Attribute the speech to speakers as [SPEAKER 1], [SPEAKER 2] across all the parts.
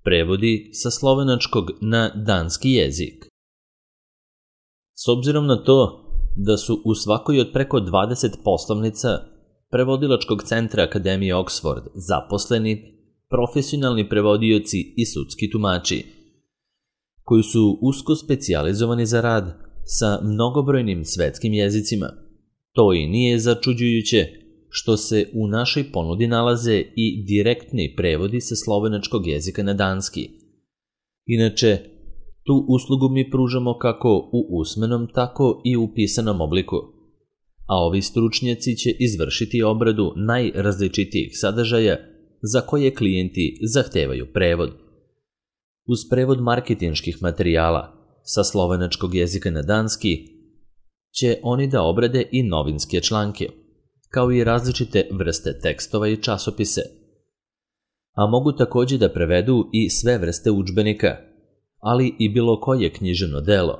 [SPEAKER 1] Prevodi sa slovenačkog na danski jezik. S obzirom na to da su u svakoj od preko 20 poslovnica prevodilačkog centra Akademije Oxford zaposleni profesionalni prevodioci i sudski tumači, koji su usko specijalizovani za rad sa mnogobrojnim svetskim jezicima. To i nije začuđujuće što se u našoj ponudi nalaze i direktni prevodi sa slovenačkog jezika na danski. Inače, tu uslugu mi pružamo kako u usmenom, tako i u pisanom obliku, a ovi stručnjaci će izvršiti obradu najrazličitijih sadržaja za koje klijenti zahtevaju prevod. Uz prevod marketinških materijala sa slovenačkog jezika na danski će oni da obrade i novinske članke, kao i različite vrste tekstova i časopise. A mogu takođe da prevedu i sve vrste udžbenika, ali i bilo koje književno delo,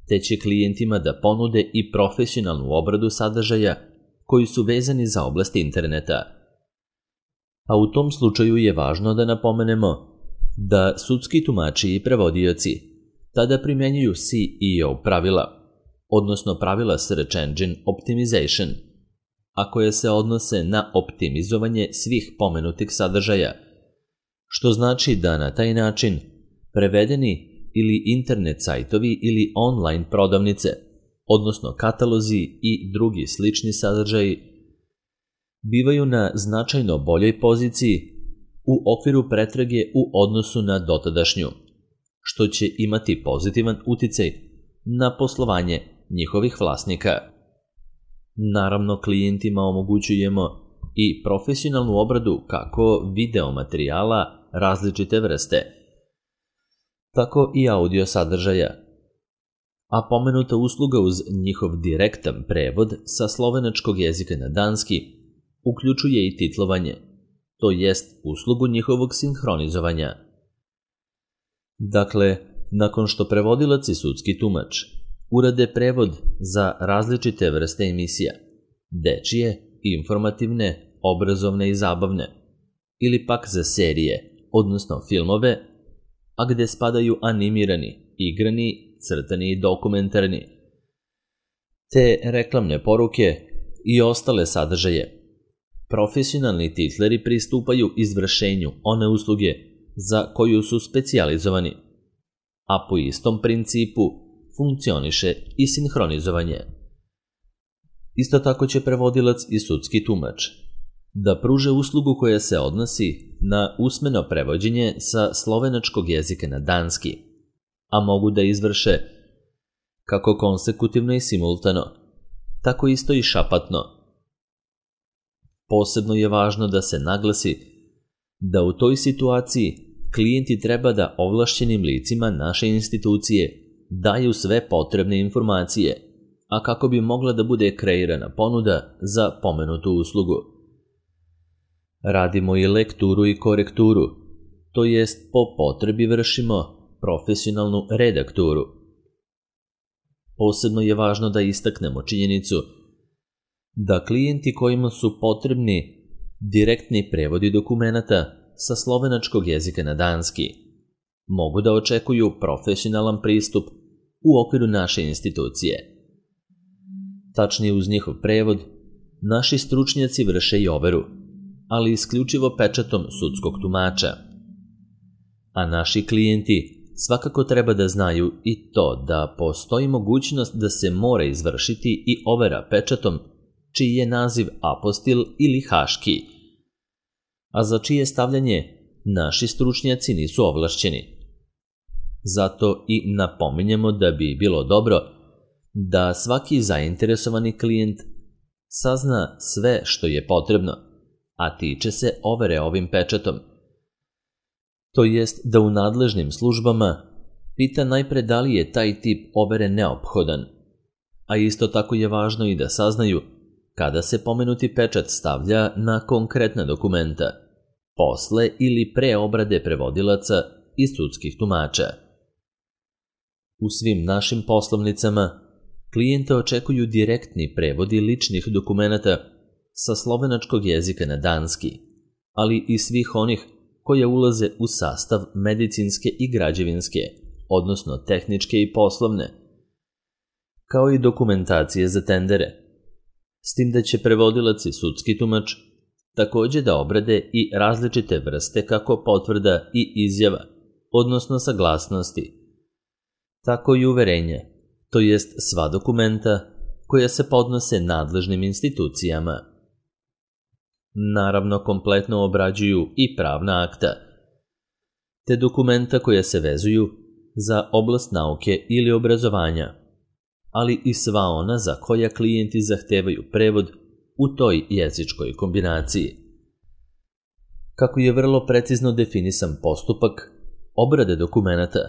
[SPEAKER 1] te će klijentima da ponude i profesionalnu obradu sadržaja koji su vezani za oblast interneta. A u tom slučaju je važno da napomenemo da sudski tumači i prevodioci tada primenjuju SEO pravila, odnosno pravila Search Engine Optimization, a koje se odnose na optimizovanje svih pomenutih sadržaja, što znači da na taj način prevedeni ili internet sajtovi ili online prodavnice, odnosno katalozi i drugi slični sadržaji, bivaju na značajno boljoj poziciji u okviru pretrage u odnosu na dotadašnju, što će imati pozitivan uticaj na poslovanje njihovih vlasnika. Naravno, klijentima omogućujemo i profesionalnu obradu kako video materijala različite vrste, tako i audio sadržaja. A pomenuta usluga uz njihov direktan prevod sa slovenačkog jezika na danski uključuje i titlovanje, to jest uslugu njihovog sinhronizovanja. Dakle, nakon što prevodilac i sudski tumač urade prevod za različite vrste emisija, dečije, informativne, obrazovne i zabavne, ili pak za serije, odnosno filmove, a gde spadaju animirani, igrani, crtani i dokumentarni, te reklamne poruke i ostale sadržaje, profesionalni titleri pristupaju izvršenju one usluge za koju su specijalizovani, a po istom principu funkcioniše i sinhronizovanje. Isto tako će prevodilac i sudski tumač da pruže uslugu koja se odnosi na usmeno prevođenje sa slovenačkog jezika na danski, a mogu da izvrše kako konsekutivno i simultano, tako isto i šapatno. Posebno je važno da se naglasi da u toj situaciji klijenti treba da ovlašćenim licima naše institucije daju sve potrebne informacije, a kako bi mogla da bude kreirana ponuda za pomenutu uslugu. Radimo i lekturu i korekturu, to jest po potrebi vršimo profesionalnu redakturu. Posebno je važno da istaknemo činjenicu da klijenti kojima su potrebni direktni prevodi dokumenata sa slovenačkog jezika na danski mogu da očekuju profesionalan pristup u okviru naše institucije. Tačnije, uz njihov prevod, naši stručnjaci vrše i overu, ali isključivo pečatom sudskog tumača. A naši klijenti svakako treba da znaju i to da postoji mogućnost da se mora izvršiti i overa pečatom čiji je naziv apostil ili haški, a za čije stavljanje naši stručnjaci nisu ovlašćeni. Zato i napominjemo da bi bilo dobro da svaki zainteresovani klijent sazna sve što je potrebno, a tiče se overe ovim pečatom. To jest da u nadležnim službama pita najpre da li je taj tip overe neophodan, a isto tako je važno i da saznaju kada se pomenuti pečat stavlja na konkretna dokumenta, posle ili pre obrade prevodilaca i sudskih tumača. U svim našim poslovnicama klijente očekuju direktni prevodi ličnih dokumenata sa slovenačkog jezika na danski, ali i svih onih koje ulaze u sastav medicinske i građevinske, odnosno tehničke i poslovne, kao i dokumentacije za tendere, s tim da će prevodilac i sudski tumač takođe da obrade i različite vrste kako potvrda i izjava, odnosno saglasnosti, tako i uverenja, to jest sva dokumenta koja se podnose nadležnim institucijama. Naravno, kompletno obrađuju i pravna akta, te dokumenta koja se vezuju za oblast nauke ili obrazovanja, ali i sva ona za koja klijenti zahtevaju prevod u toj jezičkoj kombinaciji. Kako je vrlo precizno definisan postupak obrade dokumenata,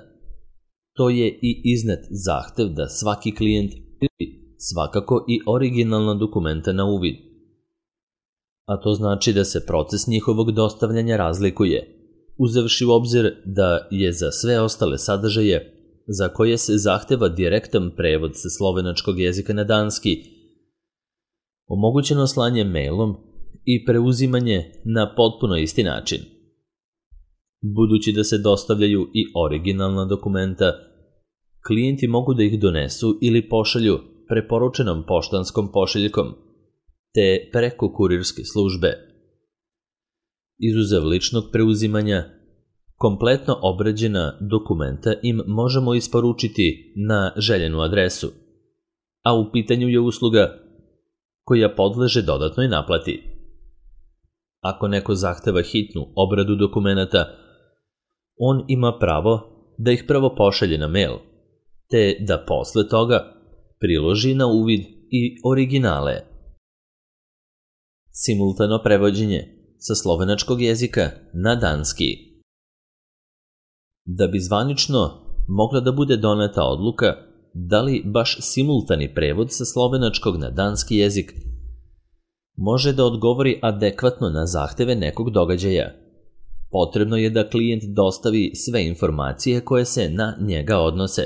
[SPEAKER 1] to je i iznet zahtev da svaki klijent primi svakako i originalna dokumenta na uvid. A to znači da se proces njihovog dostavljanja razlikuje, uzevši u obzir da je za sve ostale sadržaje za koje se zahteva direktan prevod sa slovenačkog jezika na danski omogućeno slanje mailom i preuzimanje na potpuno isti način. Budući da se dostavljaju i originalna dokumenta, klijenti mogu da ih donesu ili pošalju preporučenom poštanskom pošiljkom, te preko kurirske službe. Izuzev ličnog preuzimanja, kompletno obrađena dokumenta im možemo isporučiti na željenu adresu, a u pitanju je usluga koja podleže dodatnoj naplati. Ako neko zahteva hitnu obradu dokumenata, on ima pravo da ih prvo pošalje na mail, te da posle toga priloži na uvid i originale. Simultano prevođenje sa slovenačkog jezika na danski. Da bi zvanično mogla da bude doneta odluka da li baš simultani prevod sa slovenačkog na danski jezik može da odgovori adekvatno na zahteve nekog događaja, potrebno je da klijent dostavi sve informacije koje se na njega odnose.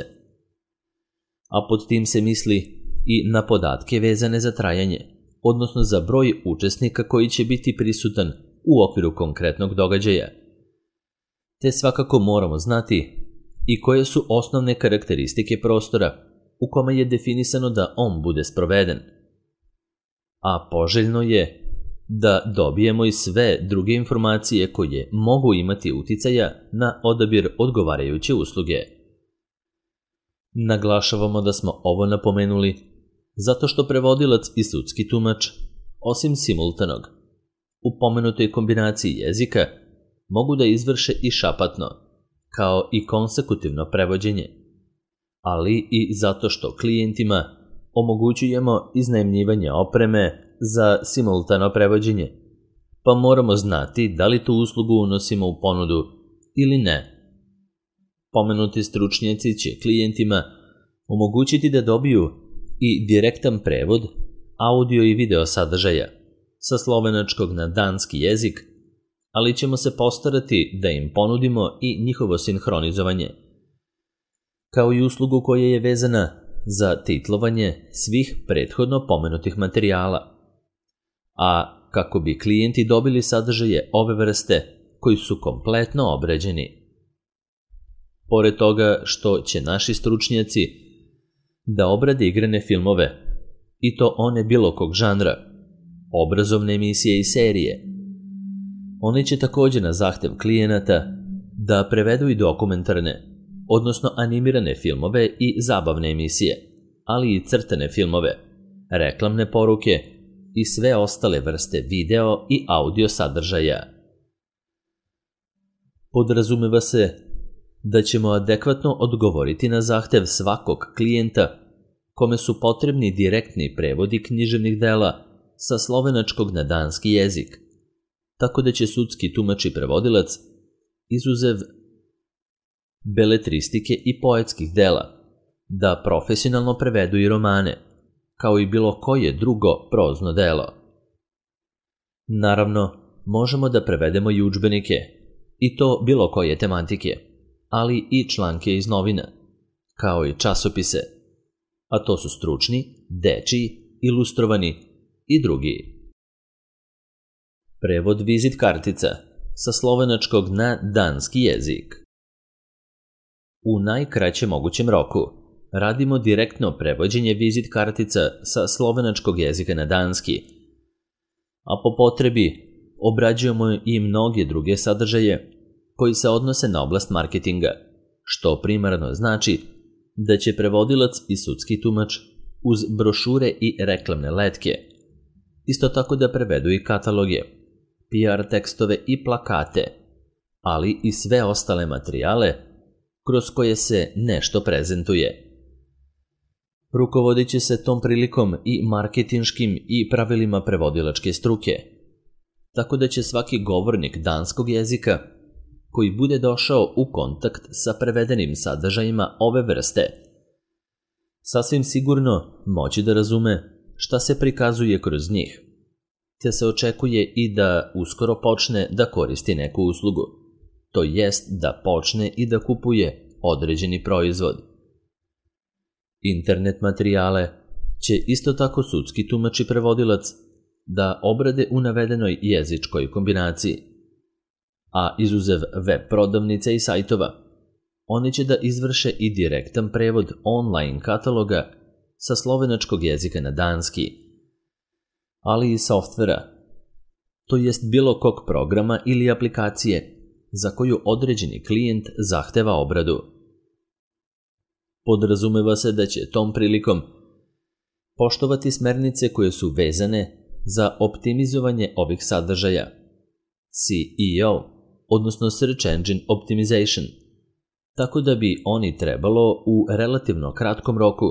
[SPEAKER 1] A pod tim se misli i na podatke vezane za trajanje, odnosno za broj učesnika koji će biti prisutan u okviru konkretnog događaja. Te svakako moramo znati i koje su osnovne karakteristike prostora u kome je definisano da on bude sproveden. A poželjno je da dobijemo i sve druge informacije koje mogu imati uticaja na odabir odgovarajuće usluge. Naglašavamo da smo ovo napomenuli zato što prevodilac i sudski tumač, osim simultanog, u pomenutoj kombinaciji jezika mogu da izvrše i šapatno, kao i konsekutivno prevođenje, ali i zato što klijentima omogućujemo iznajmljivanje opreme za simultano prevođenje, pa moramo znati da li tu uslugu unosimo u ponudu ili ne. Pomenuti stručnjaci će klijentima omogućiti da dobiju i direktan prevod audio i video sadržaja sa slovenačkog na danski jezik, ali ćemo se postarati da im ponudimo i njihovo sinhronizovanje, kao i uslugu koja je vezana za titlovanje svih prethodno pomenutih materijala, a kako bi klijenti dobili sadržaje ove vrste koji su kompletno obrađeni. Pored toga što će naši stručnjaci da obrade igrane filmove, i to one bilo kog žanra, obrazovne emisije i serije, oni će takođe na zahtev klijenata da prevedu i dokumentarne, odnosno animirane filmove i zabavne emisije, ali i crtane filmove, reklamne poruke i sve ostale vrste video i audio sadržaja. Podrazumeva se da ćemo adekvatno odgovoriti na zahtev svakog klijenta kome su potrebni direktni prevodi književnih dela sa slovenačkog na danski jezik, tako da će sudski tumač i prevodilac, izuzev beletristike i poetskih dela, da profesionalno prevedu i romane, kao i bilo koje drugo prozno delo. Naravno, možemo da prevedemo i udžbenike, i to bilo koje tematike, ali i članke iz novina, kao i časopise, a to su stručni, dečiji, ilustrovani i drugi. Prevod vizit kartica sa slovenačkog na danski jezik. U najkraćem mogućem roku radimo direktno prevođenje vizit kartica sa slovenačkog jezika na danski, a po potrebi obrađujemo i mnoge druge sadržaje koji se odnose na oblast marketinga, što primarno znači da će prevodilac i sudski tumač uz brošure i reklamne letke isto tako da prevedu i kataloge, PR tekstove i plakate, ali i sve ostale materijale kroz koje se nešto prezentuje. Rukovodit će se tom prilikom i marketinškim i pravilima prevodilačke struke, tako da će svaki govornik danskog jezika koji bude došao u kontakt sa prevedenim sadržajima ove vrste sasvim sigurno moći da razume šta se prikazuje kroz njih, te se očekuje i da uskoro počne da koristi neku uslugu, to jest da počne i da kupuje određeni proizvod. Internet materijale će isto tako sudski tumač i prevodilac da obrade u navedenoj jezičkoj kombinaciji, a izuzev web prodavnica i sajtova, oni će da izvrše i direktan prevod online kataloga sa slovenačkog jezika na danski, ali i softvera, to jest bilo kog programa ili aplikacije za koju određeni klijent zahteva obradu. Podrazumeva se da će tom prilikom poštovati smernice koje su vezane za optimizovanje ovih sadržaja, SEO, odnosno Search Engine Optimization, tako da bi oni trebalo u relativno kratkom roku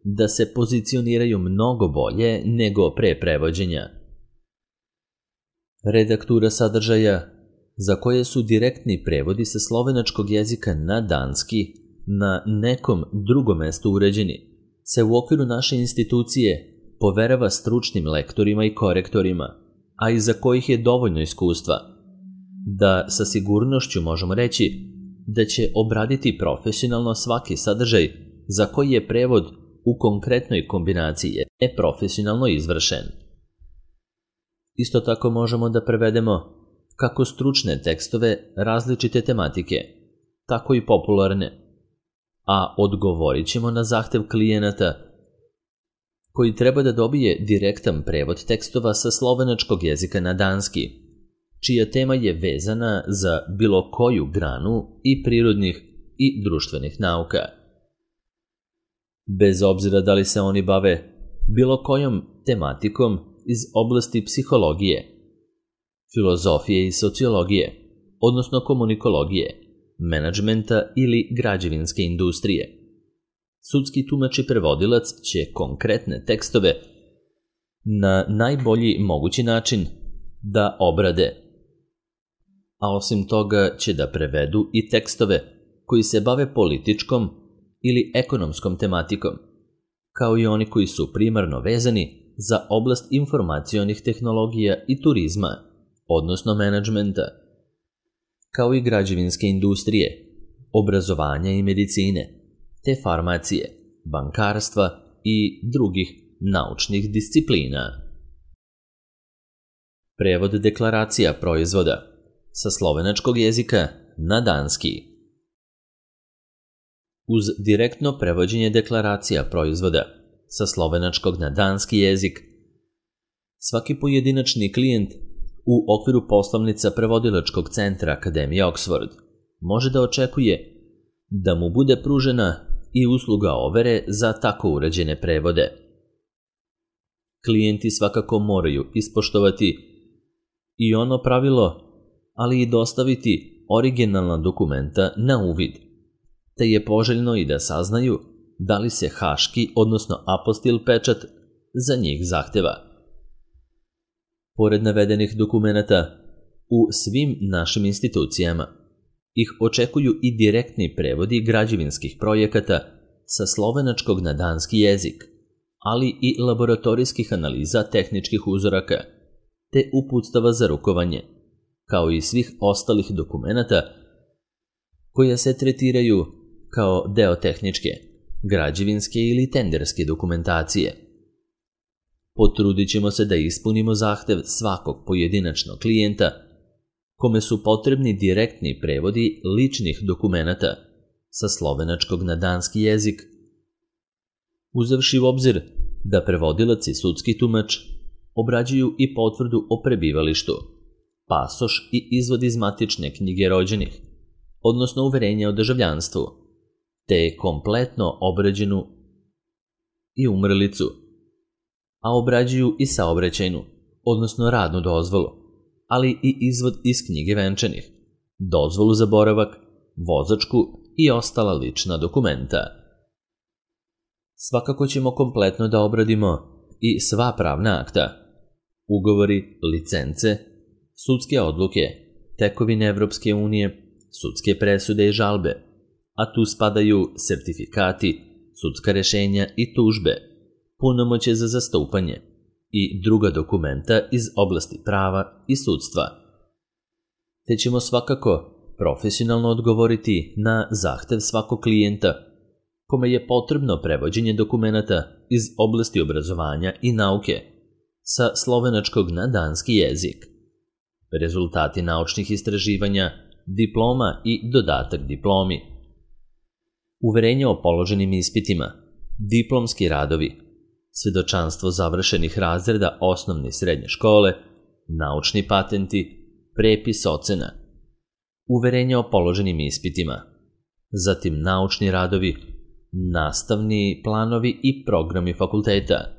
[SPEAKER 1] da se pozicioniraju mnogo bolje nego pre prevođenja. Redaktura sadržaja za koje su direktni prevodi sa slovenačkog jezika na danski na nekom drugom mestu uređeni, se u okviru naše institucije poverava stručnim lektorima i korektorima, a iza kojih je dovoljno iskustva, da sa sigurnošću možemo reći da će obraditi profesionalno svaki sadržaj za koji je prevod u konkretnoj kombinaciji neprofesionalno izvršen. Isto tako možemo da prevedemo kako stručne tekstove različite tematike, tako i popularne, a odgovorit ćemo na zahtev klijenata koji treba da dobije direktan prevod tekstova sa slovenačkog jezika na danski, čija tema je vezana za bilo koju granu i prirodnih i društvenih nauka. Bez obzira da li se oni bave bilo kojom tematikom iz oblasti psihologije, filozofije i sociologije, odnosno komunikologije, menadžmenta ili građevinske industrije. Sudski tumač i prevodilac će konkretne tekstove na najbolji mogući način da obrade, a osim toga će da prevedu i tekstove koji se bave političkom ili ekonomskom tematikom, kao i oni koji su primarno vezani za oblast informacionih tehnologija i turizma, odnosno menadžmenta, kao i građevinske industrije, obrazovanja i medicine, te farmacije, bankarstva i drugih naučnih disciplina. Prevod deklaracija proizvoda sa slovenačkog jezika na danski. Uz direktno prevođenje deklaracija proizvoda sa slovenačkog na danski jezik, svaki pojedinačni klijent u okviru poslovnica prevodilačkog centra Akademije Oxford može da očekuje da mu bude pružena i usluga overe za tako urađene prevode. Klijenti svakako moraju ispoštovati i ono pravilo, ali i dostaviti originalna dokumenta na uvid, te je poželjno i da saznaju da li se haški, odnosno apostil pečat za njih zahteva. Pored navedenih dokumenata, u svim našim institucijama ih očekuju i direktni prevodi građevinskih projekata sa slovenačkog na danski jezik, ali i laboratorijskih analiza tehničkih uzoraka, te uputstava za rukovanje, kao i svih ostalih dokumenata koja se tretiraju kao deo tehničke, građevinske ili tenderske dokumentacije. Potrudit ćemo se da ispunimo zahtev svakog pojedinačnog klijenta kome su potrebni direktni prevodi ličnih dokumenata sa slovenačkog na danski jezik. Uzevši u obzir da prevodilac i sudski tumač obrađuju i potvrdu o prebivalištu, pasoš i izvod iz matične knjige rođenih, odnosno uverenje o državljanstvu, te kompletno obrađenu i umrlicu, a obrađuju i saobraćajnu, odnosno radnu dozvolu, ali i izvod iz knjige venčanih, dozvolu za boravak, vozačku i ostala lična dokumenta. Svakako ćemo kompletno da obradimo i sva pravna akta, ugovori, licence, sudske odluke, tekovine Evropske unije, sudske presude i žalbe, a tu spadaju sertifikati, sudska rešenja i tužbe, punomoćje za zastupanje i druga dokumenta iz oblasti prava i sudstva. Te ćemo svakako profesionalno odgovoriti na zahtev svakog klijenta kome je potrebno prevođenje dokumenata iz oblasti obrazovanja i nauke sa slovenačkog na danski jezik, rezultati naučnih istraživanja, diploma i dodatak diplomi, uverenje o položenim ispitima, diplomski radovi, svedočanstvo završenih razreda osnovne i srednje škole, naučni patenti, prepis ocena, uverenje o položenim ispitima, zatim naučni radovi, nastavni planovi i programi fakulteta,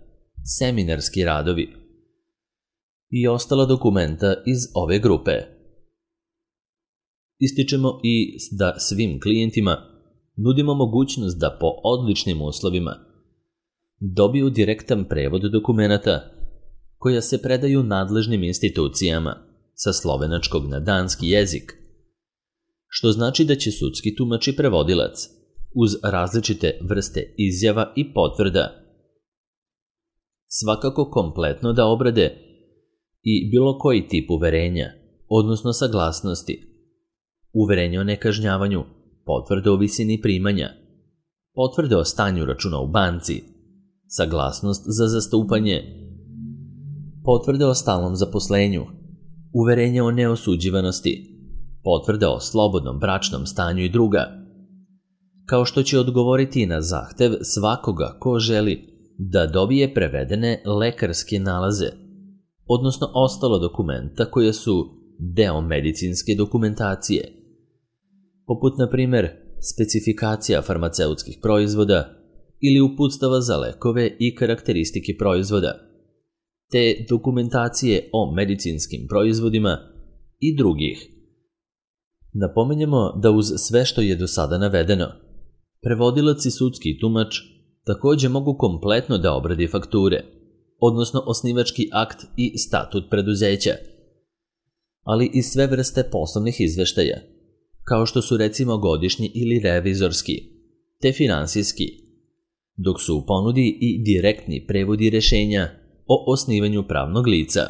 [SPEAKER 1] seminarski radovi i ostala dokumenta iz ove grupe. Ističemo i da svim klijentima nudimo mogućnost da po odličnim uslovima dobiju direktan prevod dokumenata koja se predaju nadležnim institucijama sa slovenačkog na danski jezik, što znači da će sudski tumač i prevodilac uz različite vrste izjava i potvrda svakako kompletno da obrade i bilo koji tip uverenja, odnosno saglasnosti, uverenje o nekažnjavanju, potvrde o visini primanja, potvrde o stanju računa u banci, saglasnost za zastupanje, potvrde o stalnom zaposlenju, uverenje o neosuđivanosti, potvrde o slobodnom bračnom stanju i druga, kao što će odgovoriti na zahtev svakoga ko želi da dobije prevedene lekarske nalaze, odnosno ostalo dokumenta koje su deo medicinske dokumentacije, poput, na primer, specifikacija farmaceutskih proizvoda ili uputstava za lekove i karakteristike proizvoda, te dokumentacije o medicinskim proizvodima i drugih. Napominjemo da uz sve što je do sada navedeno, prevodilac i sudski tumač takođe mogu kompletno da obradi fakture, odnosno osnivački akt i statut preduzeća, ali i sve vrste poslovnih izveštaja, kao što su recimo godišnji ili revizorski, te finansijski, dok su u ponudi i direktni prevodi rešenja o osnivanju pravnog lica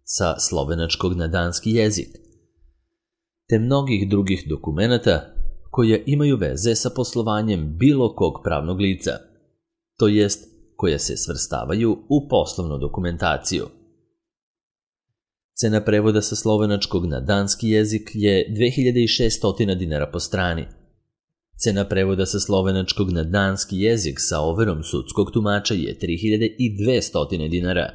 [SPEAKER 1] sa slovenačkog na danski jezik, te mnogih drugih dokumenata koja imaju veze sa poslovanjem bilo kog pravnog lica, to jest koja se svrstavaju u poslovnu dokumentaciju. Cena prevoda sa slovenačkog na danski jezik je 2600 dinara po strani. Cena prevoda sa slovenačkog na danski jezik sa overom sudskog tumača je 3200 dinara.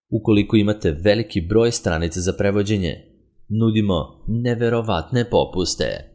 [SPEAKER 1] Ukoliko imate veliki broj stranica za prevođenje, nudimo neverovatne popuste.